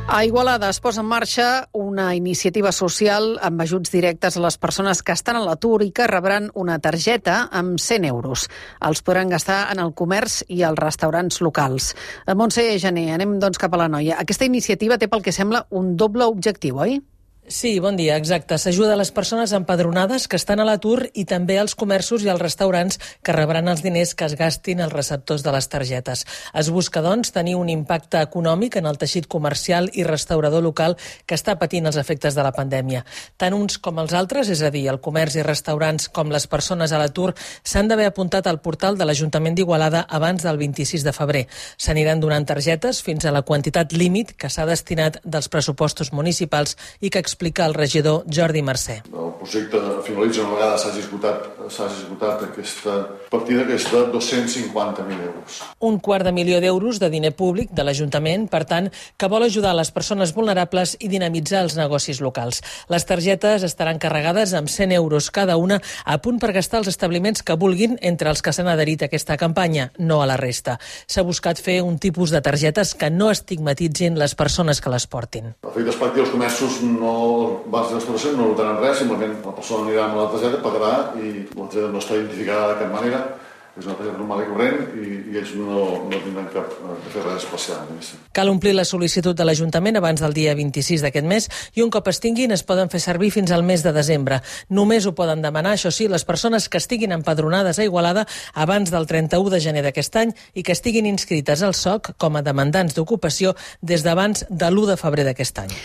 A Igualada es posa en marxa una iniciativa social amb ajuts directes a les persones que estan a l'atur i que rebran una targeta amb 100 euros. Els podran gastar en el comerç i als restaurants locals. Montse Gené, anem doncs cap a l'Anoia. Aquesta iniciativa té pel que sembla un doble objectiu, oi? Sí, bon dia, exacte. S'ajuda a les persones empadronades que estan a l'atur i també als comerços i als restaurants que rebran els diners que es gastin els receptors de les targetes. Es busca, doncs, tenir un impacte econòmic en el teixit comercial i restaurador local que està patint els efectes de la pandèmia. Tant uns com els altres, és a dir, el comerç i restaurants com les persones a l'atur, s'han d'haver apuntat al portal de l'Ajuntament d'Igualada abans del 26 de febrer. S'aniran donant targetes fins a la quantitat límit que s'ha destinat dels pressupostos municipals i que explica el regidor Jordi Mercè. El projecte finalitza una vegada s'hagi esgotat aquesta partida, que és de 250.000 euros. $250.000 de diner públic de l'Ajuntament, per tant, que vol ajudar les persones vulnerables i dinamitzar els negocis locals. Les targetes estaran carregades amb 100 euros cada una, a punt per gastar els establiments que vulguin entre els que s'han adherit a aquesta campanya, no a la resta. S'ha buscat fer un tipus de targetes que no estigmatitzin les persones que les portin. Efectes pràctics, els comerços les restauracions no notaran res, simplement la persona anirà amb la targeta, pagarà i la targeta no està identificada de cap manera, és una targeta normal i corrent i ells no tindran cap de fer res especial. Cal omplir la sol·licitud de l'Ajuntament abans del dia 26 d'aquest mes i un cop es tinguin es poden fer servir fins al mes de desembre. Només ho poden demanar, això sí, les persones que estiguin empadronades a Igualada abans del 31 de gener d'aquest any i que estiguin inscrites al SOC com a demandants d'ocupació des d'abans de l'1 de febrer d'aquest any.